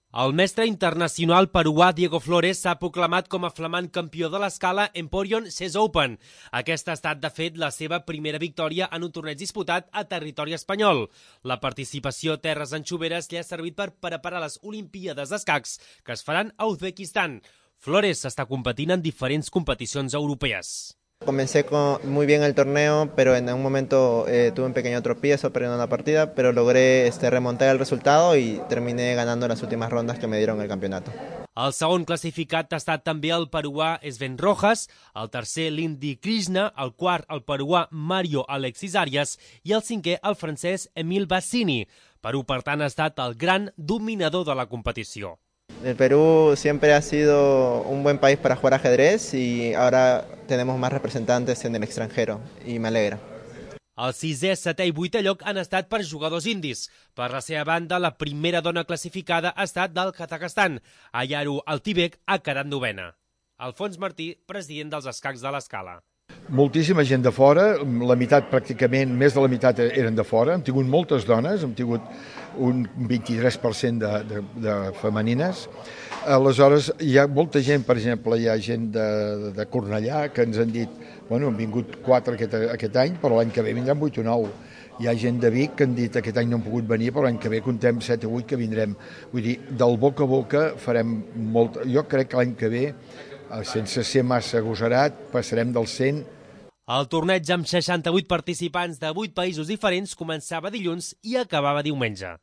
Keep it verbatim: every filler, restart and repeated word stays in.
El mestre internacional peruà Diego Flores s'ha proclamat com a flamant campió de l'escala Emporion Chess Open. Aquesta ha estat, de fet, la seva primera victòria en un torneig disputat a territori espanyol. La participació a terres anxoveres li ha servit per preparar les Olimpíades d'escacs que es faran a Uzbekistan. Flores està competint en diferents competicions europees. Comencé con muy bien el torneo, pero en un momento eh, tuve un pequeño tropiezo perdiendo la partida, pero logré este, remontar el resultado y terminé ganando las últimas rondas que me dieron el campeonato. El segon classificat ha estat també el peruà Sven Rojas, el tercer l'indi Krishna, el quart el peruà Mario Alexis Arias i el cinquè el francès Emil Bassini. Perú, per tant, ha estat el gran dominador de la competició. El Perú siempre ha sido un buen país para jugar ajedrez y ahora tenemos más representantes en el extranjero y me alegra. El sisè, setè i vuitè lloc han estat per jugadors indis. Per la seva banda, la primera dona classificada ha estat del Kazakhstan. Ayaru Altibek ha quedat novena. Alfons Martí, president dels escacs de l'Escala. Moltíssima gent de fora, la meitat pràcticament, més de la meitat eren de fora. Hem tingut moltes dones, hem tingut un vint-i-tres per cent de, de, de femenines. Aleshores, hi ha molta gent, per exemple, hi ha gent de, de Cornellà que ens han dit, bueno, han vingut quatre aquest, aquest any, però l'any que ve vindran vuit o nou. Hi ha gent de Vic que han dit aquest any no han pogut venir, però l'any que ve contem set o vuit que vindrem. Vull dir, del boca a boca farem molt... Jo crec que l'any que ve, sense ser massa agosarat, passarem del cent. El torneig amb seixanta-vuit participants de vuit països diferents començava dilluns i acabava diumenge.